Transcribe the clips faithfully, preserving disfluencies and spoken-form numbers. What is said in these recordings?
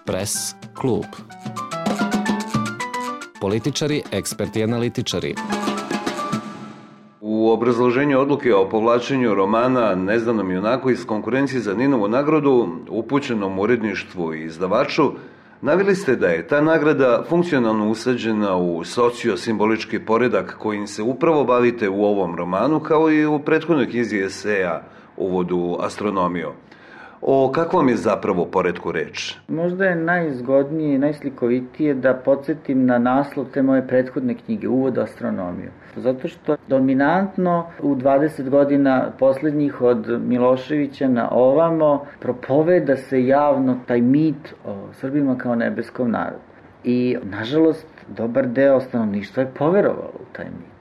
Press klub. Političari, eksperti i analitičari. U obrazloženju odluke o povlačenju romana Nezdanom junaku iz konkurencije za Ninovu nagradu, upućenom uredništvu i izdavaču, naveli ste da je ta nagrada funkcionalno usađena u sociosimbolički poredak kojim se upravo bavite u ovom romanu, kao i u prethodnoj knjizi eseja Uvod u astronomiju. O kakvom je zapravo poretku reč? Možda je najzgodnije i najslikovitije da podsjetim na naslov te moje prethodne knjige, Uvod u astronomiju. Zato što dominantno u dvadeset godina poslednjih od Miloševića na ovamo propoveda se javno taj mit o Srbima kao nebeskom narodu. I, nažalost, dobar deo stanovništva je poverovalo u taj mit.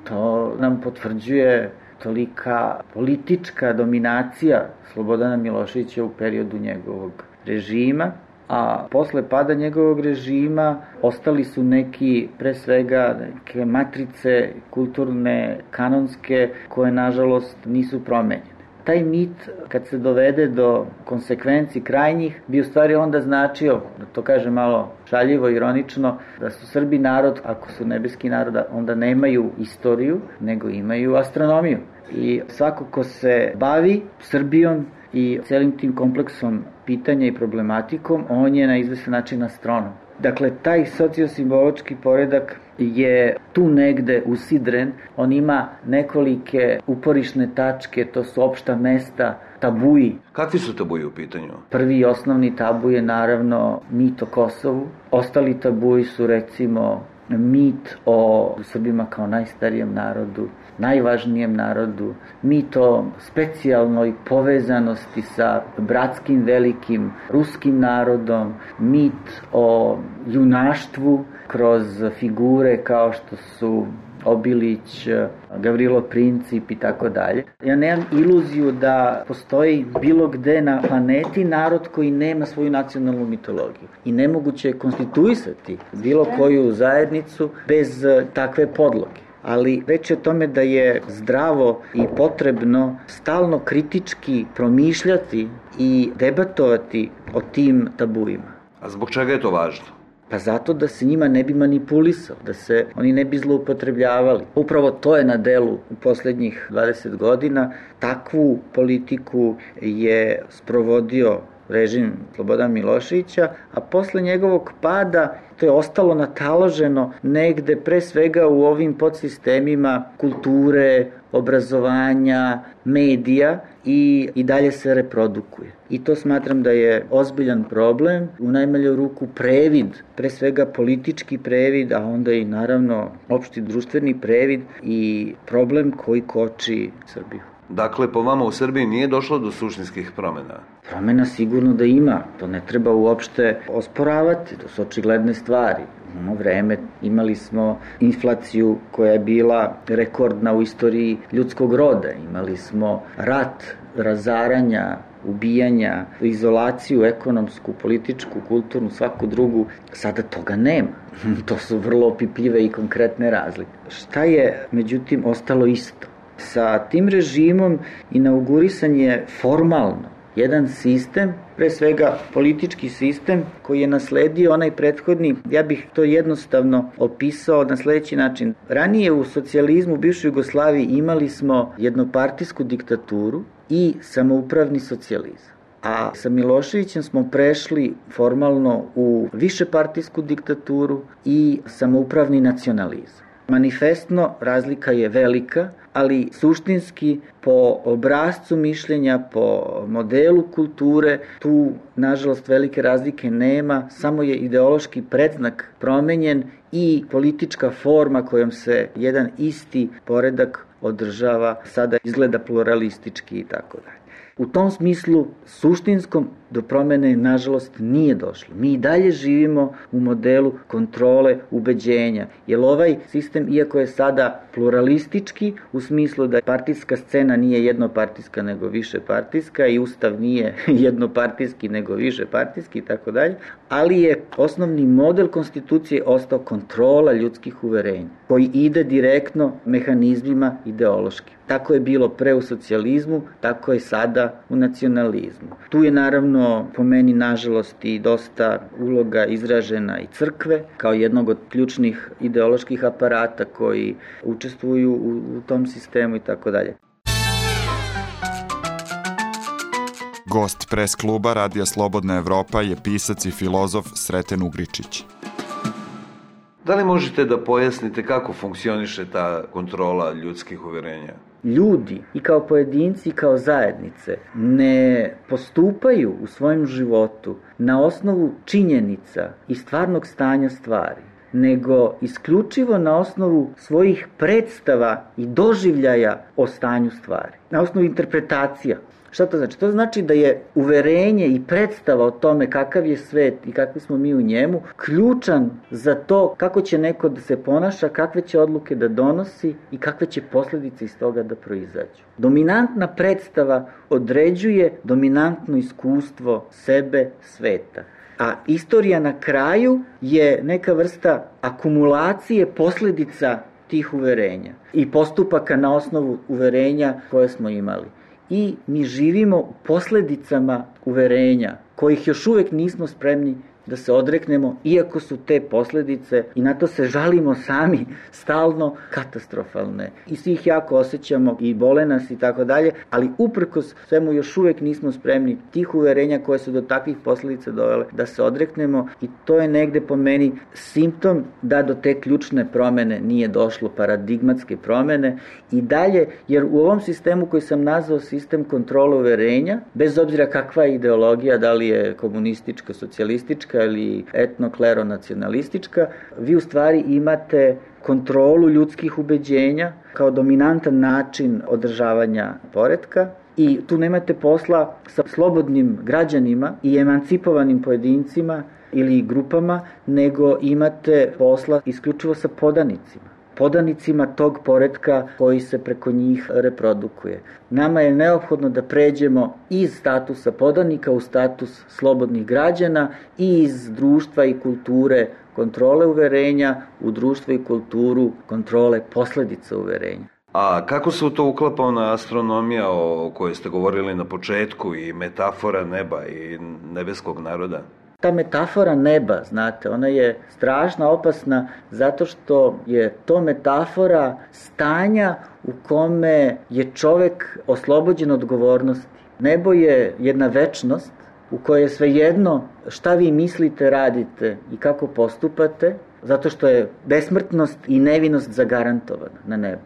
To nam potvrđuje tolika politička dominacija Slobodana Miloševića u periodu njegovog režima, a posle pada njegovog režima ostali su neki, pre svega, neke matrice kulturne, kanonske, koje nažalost nisu promenjene. Taj mit, kad se dovede do konsekvenci krajnjih, bi u stvari onda značio, da to kaže malo šaljivo, ironično, da su Srbi narod, ako su nebeski narod, onda nemaju istoriju, nego imaju astronomiju. I svako ko se bavi Srbijom i celim tim kompleksom pitanja i problematikom, on je na izvestan način astronom. Dakle, taj sociosimbolički poredak je tu negde usidren, on ima nekolike uporišne tačke, to su opšta mesta, tabuji. Kakvi su tabuji u pitanju? Prvi i osnovni tabu je naravno mit o Kosovu, ostali tabuji su recimo mit o Srbima kao najstarijem narodu, najvažnijem narodu, mit o specijalnoj povezanosti sa bratskim velikim ruskim narodom, mit o junaštvu kroz figure kao što su Obilić, Gavrilo Princip i tako dalje. Ja nemam iluziju da postoji bilo gde na planeti narod koji nema svoju nacionalnu mitologiju. I nemoguće je konstituisati bilo koju zajednicu bez takve podloge. Ali reč je o tome da je zdravo i potrebno stalno kritički promišljati i debatovati o tim tabuima. A zbog čega je to važno? Pa zato da se njima ne bi manipulisao, da se oni ne bi zloupotrebljavali. Upravo to je na delu u poslednjih dvadeset godina. Takvu politiku je sprovodio režim Slobodana Miloševića, a posle njegovog pada to je ostalo nataloženo negde pre svega u ovim podsistemima kulture, obrazovanja, medija i, i dalje se reprodukuje. I to smatram da je ozbiljan problem, u najmanju ruku previd, pre svega politički previd, a onda i naravno opšti društveni previd i problem koji koči Srbiju. Dakle, po vama u Srbiji nije došlo do suštinskih promena? Promena sigurno da ima, to ne treba uopšte osporavati, to su očigledne stvari. U ono vreme imali smo inflaciju koja je bila rekordna u istoriji ljudskog roda, imali smo rat, razaranja, ubijanja, izolaciju ekonomsku, političku, kulturnu, svaku drugu. Sada toga nema. To su vrlo opipljive i konkretne razlike. Šta je, međutim, ostalo isto? Sa tim režimom inaugurisan je formalno jedan sistem, pre svega politički sistem koji je nasledio onaj prethodni, ja bih to jednostavno opisao na sledeći način. Ranije u socijalizmu, u bivšoj Jugoslaviji imali smo jednopartijsku diktaturu i samoupravni socijalizam. A sa Miloševićem smo prešli formalno u višepartijsku diktaturu i samoupravni nacionalizam. Manifestno razlika je velika, ali suštinski po obrazcu mišljenja, po modelu kulture, tu nažalost velike razlike nema, samo je ideološki predznak promenjen i politička forma kojom se jedan isti poredak održava sada izgleda pluralistički i tako dalje. U tom smislu suštinskom do promene nažalost nije došlo. Mi i dalje živimo u modelu kontrole ubeđenja, jer ovaj sistem, iako je sada pluralistički, u smislu da partijska scena nije jednopartijska nego višepartijska i ustav nije jednopartijski nego višepartijski i tako dalje, ali je osnovni model konstitucije ostao kontrola ljudskih uverenja, koji ide direktno mehanizmima i ideološki. Tako je bilo pre u socijalizmu, tako je sada u nacionalizmu. Tu je naravno po meni nažalost i dosta uloga izražena i crkve kao jednog od ključnih ideoloških aparata koji učestvuju u, u tom sistemu i tako dalje. Gost pres kluba Radija Slobodna Evropa je pisac i filozof Sreten Ugričić. Da li možete da pojasnite kako funkcioniše ta kontrola ljudskih uverenja? Ljudi i kao pojedinci i kao zajednice ne postupaju u svojem životu na osnovu činjenica i stvarnog stanja stvari, nego isključivo na osnovu svojih predstava i doživljaja o stanju stvari, na osnovu interpretacija. Šta to znači? To znači da je uverenje i predstava o tome kakav je svet i kakvi smo mi u njemu ključan za to kako će neko da se ponaša, kakve će odluke da donosi i kakve će posledice iz toga da proizađu. Dominantna predstava određuje dominantno iskustvo sebe, sveta. A istorija na kraju je neka vrsta akumulacije posledica tih uverenja i postupaka na osnovu uverenja koje smo imali. I mi živimo u posledicama uverenja, kojih još uvek nismo spremni da se odreknemo, iako su te posledice, i na to se žalimo sami, stalno katastrofalne. I svi ih jako osjećamo i bole nas i tako dalje, ali uprkos svemu još uvek nismo spremni tih uverenja koje su do takvih posledica dovele da se odreknemo i to je negde po meni simptom da do te ključne promene nije došlo, paradigmatske promene i dalje, jer u ovom sistemu koji sam nazvao sistem kontrole uverenja, bez obzira kakva je ideologija, da li je komunistička, socijalistička ili etno-klero-nacionalistička, vi u stvari imate kontrolu ljudskih ubeđenja kao dominantan način održavanja poretka i tu nemate posla sa slobodnim građanima i emancipovanim pojedincima ili grupama, nego imate posla isključivo sa podanicima. podanicima tog poretka koji se preko njih reprodukuje. Nama je neophodno da pređemo iz statusa podanika u status slobodnih građana i iz društva i kulture kontrole uverenja u društvo i kulturu kontrole posledica uverenja. A kako se u to uklapa ona astronomija o kojoj ste govorili na početku i metafora neba i nebeskog naroda? Ta metafora neba, znate, ona je strašno opasna zato što je to metafora stanja u kome je čovek oslobođen odgovornosti. Nebo je jedna večnost u kojoj je svejedno šta vi mislite, radite i kako postupate, zato što je besmrtnost i nevinost zagarantovana na nebu.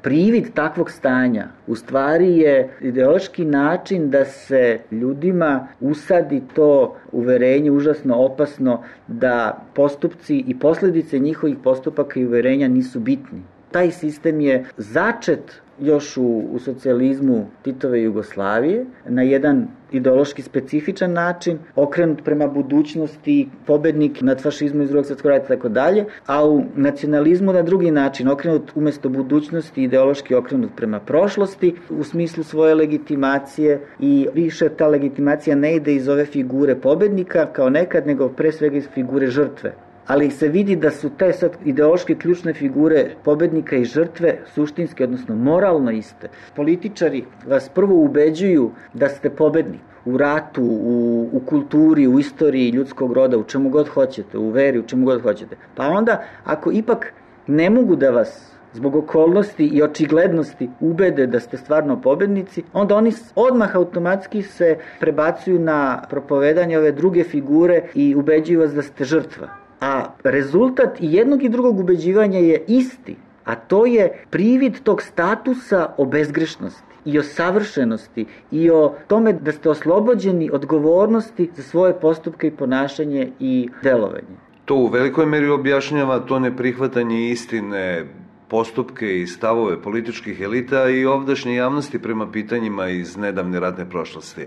Privid takvog stanja u stvari je ideološki način da se ljudima usadi to uverenje užasno opasno da postupci i posledice njihovih postupaka i uverenja nisu bitni. Taj sistem je začet još u, u socijalizmu Titove Jugoslavije na jedan ideološki specifičan način, okrenut prema budućnosti, pobednik nad fašizmom iz drugog svjetskog rata i tako dalje, a u nacionalizmu na drugi način, okrenut umesto budućnosti, ideološki okrenut prema prošlosti u smislu svoje legitimacije i više ta legitimacija ne ide iz ove figure pobednika kao nekad, nego pre svega iz figure žrtve. Ali se vidi da su te sad ideološke ključne figure pobednika i žrtve suštinski, odnosno moralno iste. Političari vas prvo ubeđuju da ste pobednik u ratu, u, u kulturi, u istoriji ljudskog roda, u čemu god hoćete, u veri, u čemu god hoćete. Pa onda, ako ipak ne mogu da vas zbog okolnosti i očiglednosti ubede da ste stvarno pobednici, onda oni odmah automatski se prebacuju na propovedanje ove druge figure i ubeđuju vas da ste žrtva. A rezultat i jednog i drugog ubeđivanja je isti, a to je privid tog statusa o bezgrešnosti i o savršenosti i o tome da ste oslobođeni odgovornosti za svoje postupke i ponašanje i delovanje. To u velikoj meri objašnjava to neprihvatanje istine, postupke i stavove političkih elita i ovdašnje javnosti prema pitanjima iz nedavne ratne prošlosti.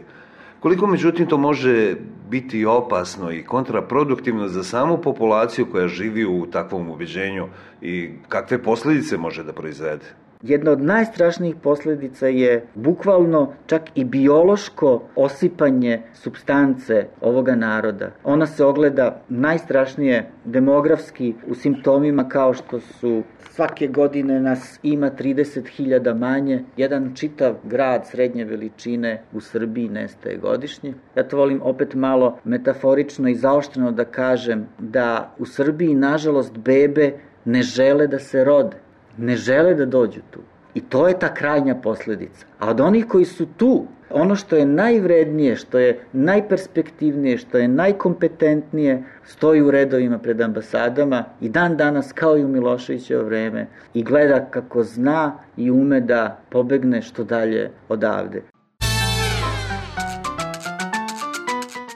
Koliko međutim to može biti opasno i kontraproduktivno za samu populaciju koja živi u takvom ubeđenju i kakve posledice može da proizvede? Jedna od najstrašnijih posljedica je bukvalno čak i biološko osipanje supstance ovoga naroda. Ona se ogleda najstrašnije demografski u simptomima kao što su svake godine nas ima trideset hiljada manje, jedan čitav grad srednje veličine u Srbiji nestaje godišnje. Ja to volim opet malo metaforično i zaoštreno da kažem da u Srbiji nažalost bebe ne žele da se rode. Ne žele da dođu tu. I to je ta krajnja posljedica. A od onih koji su tu, ono što je najvrednije, što je najperspektivnije, što je najkompetentnije, stoji u redovima pred ambasadama i dan danas kao i u Miloševićevo vreme i gleda kako zna i ume da pobegne što dalje odavde.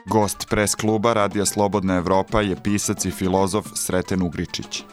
Gost pres kluba Radija Slobodna Evropa je pisac i filozof Sreten Ugričić.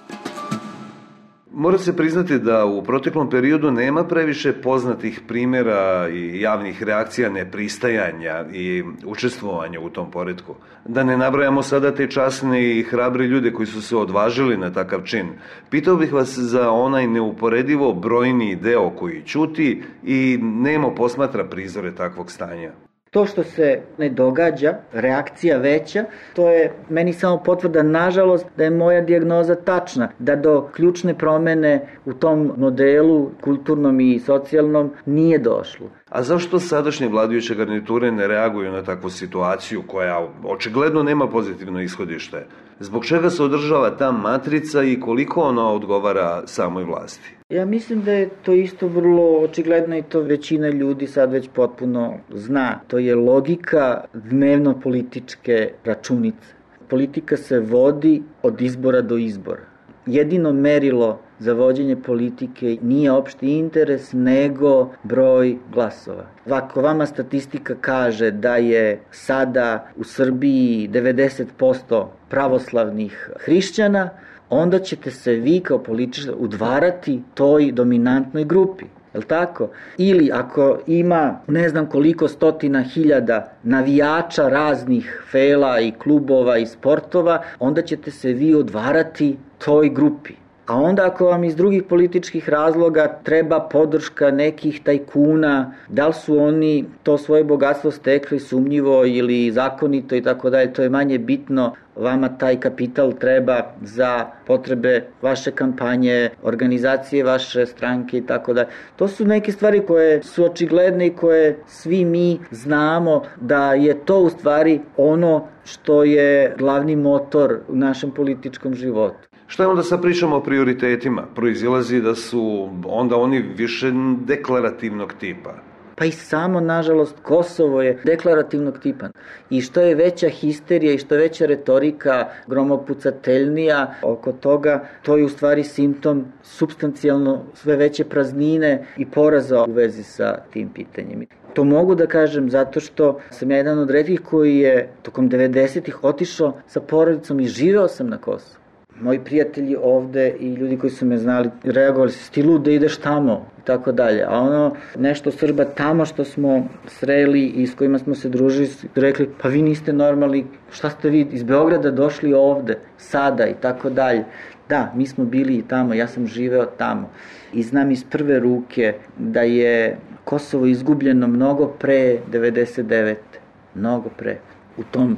Mora se priznati da u proteklom periodu nema previše poznatih primjera i javnih reakcija nepristajanja i učestvovanja u tom poretku. Da ne nabrajamo sada te časne i hrabri ljude koji su se odvažili na takav čin. Pitao bih vas za onaj neuporedivo brojni deo koji ćuti i nemo posmatra prizore takvog stanja. To što se ne događa, reakcija veća, to je meni samo potvrda, nažalost, da je moja dijagnoza tačna, da do ključne promene u tom modelu, kulturnom i socijalnom, nije došlo. A zašto sadašnje vladajuće garniture ne reaguju na takvu situaciju koja očigledno nema pozitivno ishodište? Zbog čega se održava ta matrica i koliko ona odgovara samoj vlasti? Ja mislim da je to isto vrlo očigledno i to većina ljudi sad već potpuno zna. To je logika dnevno-političke računice. Politika se vodi od izbora do izbora. Jedino merilo za vođenje politike nije opšti interes, nego broj glasova. Ako vama statistika kaže da je sada u Srbiji devedeset posto pravoslavnih hrišćana, onda ćete se vi kao političar udvarati toj dominantnoj grupi. Jel' tako? Ili ako ima ne znam koliko stotina hiljada navijača raznih fela i klubova i sportova, onda ćete se vi udvarati toj grupi. A onda ako vam iz drugih političkih razloga treba podrška nekih tajkuna, da li su oni to svoje bogatstvo stekli sumnjivo ili zakonito i tako dalje, to je manje bitno. Vama taj kapital treba za potrebe vaše kampanje, organizacije vaše stranke i tako dalje. To su neke stvari koje su očigledne i koje svi mi znamo da je to u stvari ono što je glavni motor u našem političkom životu. Šta je onda sad pričamo o prioritetima? Proizilazi da su onda oni više deklarativnog tipa. Pa i samo, nažalost, Kosovo je deklarativnog tipa. I što je veća histerija i što je veća retorika, gromopucateljnija oko toga, to je u stvari simptom supstancijalno sve veće praznine i poraza u vezi sa tim pitanjem. To mogu da kažem zato što sam ja jedan od retkih koji je tokom devedesetih otišao sa porodicom i živeo sam na Kosovu. Moji prijatelji ovde i ljudi koji su me znali reagovali su, ti lud da ideš tamo i tako dalje. A ono nešto Srba tamo što smo sreli i s kojima smo se družili su rekli, pa vi niste normalni, šta ste vi iz Beograda došli ovde sada i tako dalje. Da, mi smo bili i tamo, ja sam živeo tamo i znam iz prve ruke da je Kosovo izgubljeno mnogo pre devedeset devete. Mnogo pre. U tom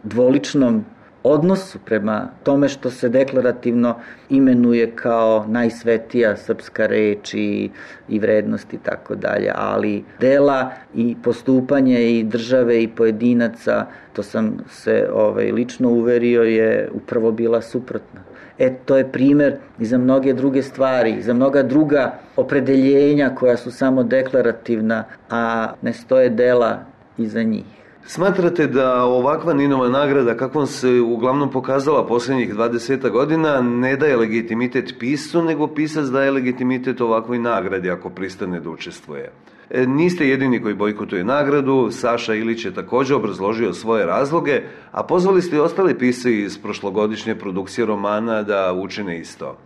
dvoličnom odnosu prema tome što se deklarativno imenuje kao najsvetija srpska reč i, i vrednost i tako dalje, ali dela i postupanje i države i pojedinaca, to sam se ovaj, lično uverio, je upravo bila suprotna. E, to je primer i za mnoge druge stvari, za mnoga druga opredeljenja koja su samo deklarativna, a ne stoje dela iza njih. Smatrate da ovakva Ninova nagrada, kakvom se uglavnom pokazala posljednjih dvadeset godina, ne daje legitimitet piscu, nego pisac daje legitimitet ovakvoj nagradi ako pristane da učestvuje? E, niste jedini koji bojkotuje nagradu, Saša Ilić je također obrazložio svoje razloge, a pozvali ste i ostali pisci iz prošlogodišnje produkcije romana da učine isto.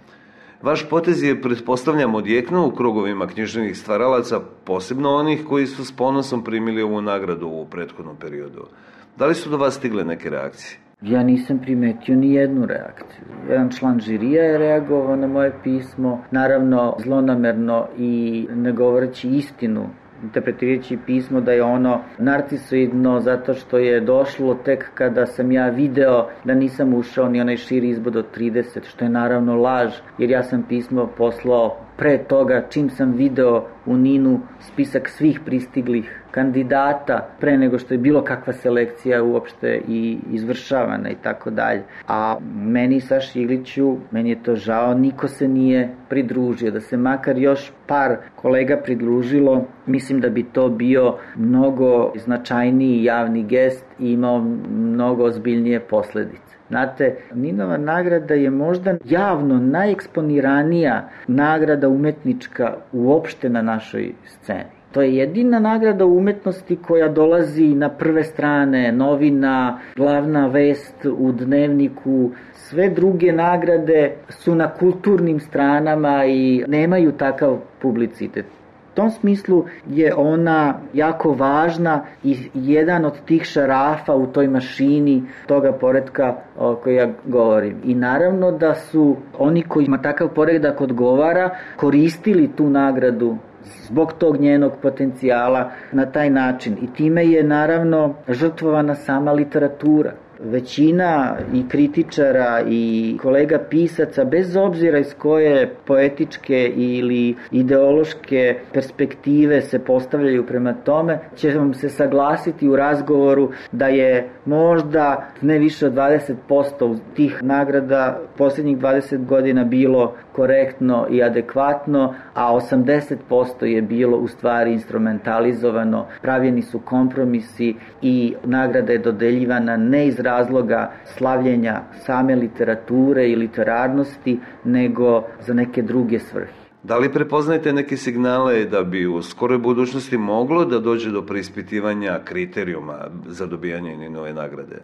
Vaš potez je, pretpostavljam, odjeknuo u krugovima književnih stvaralaca, posebno onih koji su s ponosom primili ovu nagradu u prethodnom periodu. Da li su do vas stigle neke reakcije? Ja nisam primetio ni jednu reakciju. Jedan član žirija je reagovao na moje pismo, naravno zlonamerno i ne govoreći istinu, interpretirajući pismo da je ono narcisoidno zato što je došlo tek kada sam ja video da nisam ušao ni onaj širi izbod od trideset, što je naravno laž, jer ja sam pismo poslao pre toga čim sam video u Ninu spisak svih pristiglih kandidata pre nego što je bilo kakva selekcija uopšte i izvršavana i tako dalje. A meni, Saši Igliću, meni je to žao, niko se nije pridružio. Da se makar još par kolega pridružilo, mislim da bi to bio mnogo značajniji javni gest i imao mnogo ozbiljnije posledice. Znate, Ninova nagrada je možda javno najeksponiranija nagrada umetnička uopšte na našoj sceni. To je jedina nagrada umetnosti koja dolazi na prve strane novina, glavna vest u dnevniku. Sve druge nagrade su na kulturnim stranama i nemaju takav publicitet. U tom smislu je ona jako važna i jedan od tih šarafa u toj mašini toga poretka o kojoj ja govorim. I naravno da su oni kojima takav poredak odgovara koristili tu nagradu zbog tog njenog potencijala na taj način. I time je naravno žrtvovana sama literatura. Većina i kritičara i kolega pisaca, bez obzira iz koje poetičke ili ideološke perspektive se postavljaju prema tome, će vam se saglasiti u razgovoru da je možda ne više od dvadeset posto tih nagrada posljednjih dvadeset godina bilo korektno i adekvatno, a osamdeset posto je bilo u stvari instrumentalizovano, pravljeni su kompromisi i nagrada je dodeljivana ne iz razloga slavljenja same literature i literarnosti, nego za neke druge svrhe. Da li prepoznajete neke signale da bi u skoroj budućnosti moglo da dođe do preispitivanja kriterijuma za dobijanje Ninove nagrade?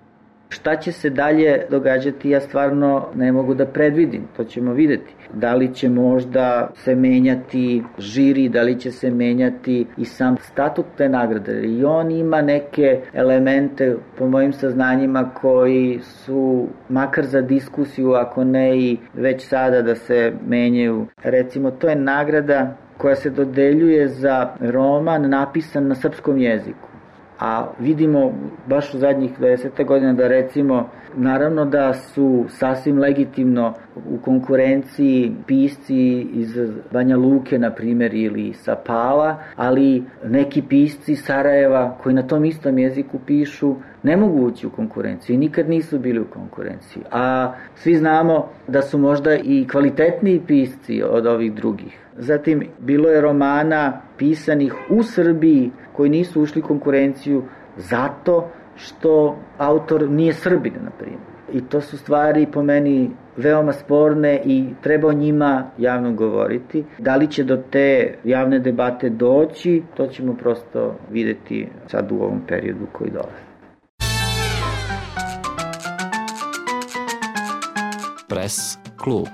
Šta će se dalje događati, ja stvarno ne mogu da predvidim, to ćemo videti. Da li će možda se menjati žiri, da li će se menjati i sam statut te nagrade. I on ima neke elemente, po mojim saznanjima, koji su makar za diskusiju, ako ne i već sada da se menjaju. Recimo, to je nagrada koja se dodeljuje za roman napisan na srpskom jeziku. A vidimo baš u zadnjih dvadeset godina da recimo, naravno da su sasvim legitimno u konkurenciji pisci iz Banja Luke, na primjer, ili sa Pala, ali neki pisci iz Sarajeva koji na tom istom jeziku pišu ne mogu ući u konkurenciju i nikad nisu bili u konkurenciji. A svi znamo da su možda i kvalitetniji pisci od ovih drugih. Zatim, bilo je romana pisanih u Srbiji koji nisu ušli u konkurenciju zato što autor nije Srbin, na primjer. I to su stvari po meni veoma sporne i treba o njima javno govoriti. Da li će do te javne debate doći, to ćemo prosto videti sad u ovom periodu koji dolazi. Press klub.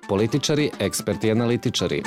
Političari, eksperti, analitičari.